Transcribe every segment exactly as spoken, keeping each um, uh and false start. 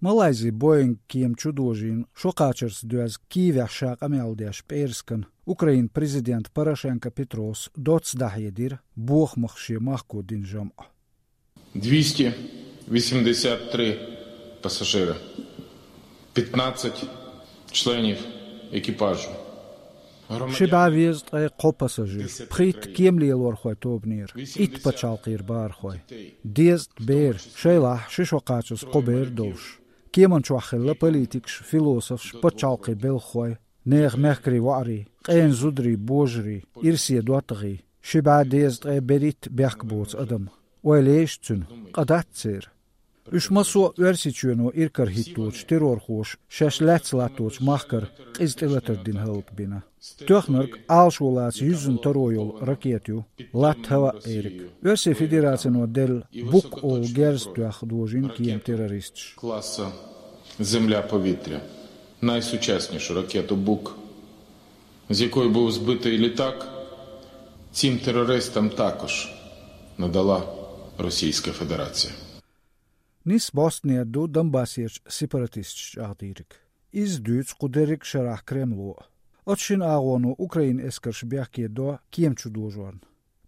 Малайзи Боинг кема чу дожийна шо кхачарца доьзна Киевехь ша къамел деш пӀераскан Украинан президента Порошенко Петрос доцца дӀахьедира бохамах шен махко дина жамӀ. двести восемьдесят три пассажира, пятнадцать членов экипажа. Ши бӀе везткъе кхо пассажир, пхийтта кемалелорхойн тобанера, итт пачхьалкхера бахархой, дезткъа бер, шайлахь ши шо кхачаза кхо бер долуш. Кеман чохь хилла политикаш, философаш, пачхьалкхийн белхахой, нехан мехкарийн воӀарий, къена зударий, божарий, ирсе доттагӀий, ши бӀе дезткъе берхӀитта бехк боцу адам. Ойла еш цуьнан, къа дац церан. Уьш массо а Оьрсийчоьно иракарахӀитточу террорхоша шаьш лаьцна латточу махкара къиза тӀелатар дина хӀаллакбина. Тоьхнарг Ӏалашо лаца юьззина таро йолу ракета ю, латта хӀаваъ эриг. Оьрсийн Федерацино делла Бук олу герз тоьхна дожийна кема террористаш. Класа «Земля-повітря» найсучаснішу ракету «Бук», з якої був збитий літак, цим терористам також надала Російська Федерація. Нийсса бӀостанера ду Донбассерчу сепаратисташ чӀагӀдийриг. Иза дуьйцу кху дерриг шарахь Кремло. Оцу шина агӀоно Украинан эскарш бехке до кема чу дожорна.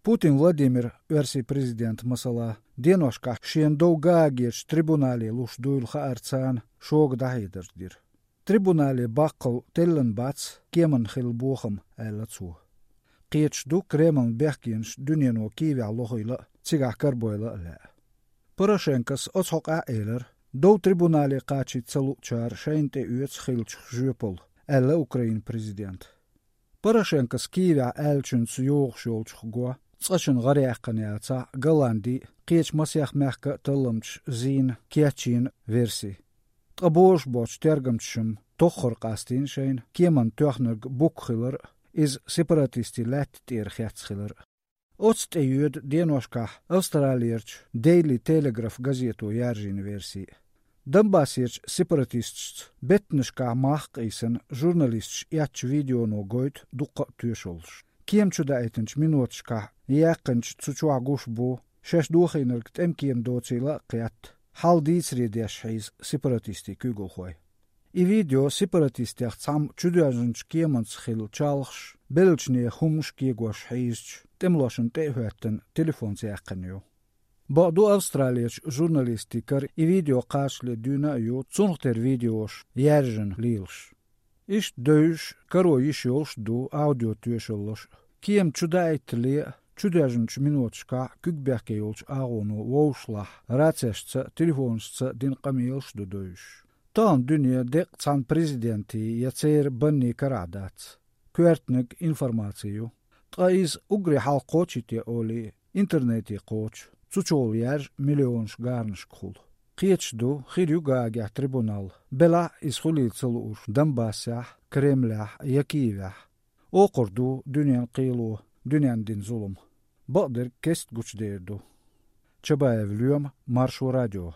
Путин Владимира, Оьрсийн президента, масала, деношкахь шена дов Гаагерчу трибунале луш дуйла хаарца, шога дӀахьедарш дира. Трибунале баккхалла теллина бац кеманна хилла бохам, аьлла цо. Кхеташ ду Кремлан бехкенаш дуьнено Киевехь лохийла а, цигахь карабойла а лаьа. Порошенкос оцу хьокъехь а элира, дов трибунале кхачийта ца луучара шайна тӀеоьцу хиллачух жоьпалла, аьлла Украинан президента. Порошенкос Киевехь аьллачуьнца йогӀуш йолчух го цкъачунна гӀараяьккхина яцахь Голланди а, кхечу масех мехкан а талламчаша зийна, кечйина верси. Ткъа божуш боцчу тергамчаша-м тоххара къастийна шайна кеманна тоьхнарг Бук хилар а, иза сепаратистийн лаьтта тӀера хецна хилар а. Оцу тӀе йоьду деношкахь Австралерчу Daily Telegraph газето яржийна верси. Донбассерчу сепаратисташца беттанашкахь мах а къийсина, журналисташа эцначу видеоно гойту дуккха а тоьшаллаш. Кема чу даийтинчу миноташкахь яьккхинчу цу чохь гуш бу, шаьш дохийнарг тӀемкема доцийла а кхетта, хьал дийцаре деш хьийза сепаратистийн куьйгалхой. И видео сепаратистех цхьамма чудоьжначу кеманца хилла чалхаш, беллачу нехан хӀуманаш кегош хьийзачу тӀемалошна тӀе а хӀоьттина, телефонца яьккхина ю. Бакъду, Австралерчу журналистийн кара и видео кхачале дуьйна а ю, цунах тера видеош яьржина лелаш. Иштта девзаш, каро йиш йолуш а ду аудиотоьшаллаш а. Кема чу даийтале а, чудоьжначу миноташкахь куьг бехке йолчу агӀоно вовшашлахь рацешца а, телефонашца а дина къамелаш а ду девзаш. Тахана дуьне деккъа цхьана президентийн я церан баннийн карахь дац. Коьртаниг информаци ю. Ткъа иза уггаре хьалха кхочуьйтий олий, интернете кхочу, цу чухула яьржа миллионаш гаранашкахула. Кхеташ ду, хир ю Гаагехь трибунал, белахь а иза хуьлийла ца лууш Донбассехь, Кремлехь я Киевехь. Окхур ду дуьненан кхело, дуьненна дина зулам. Бакъдерг кеста гучудер ду. Чабаев Лоьма, Маршо радио.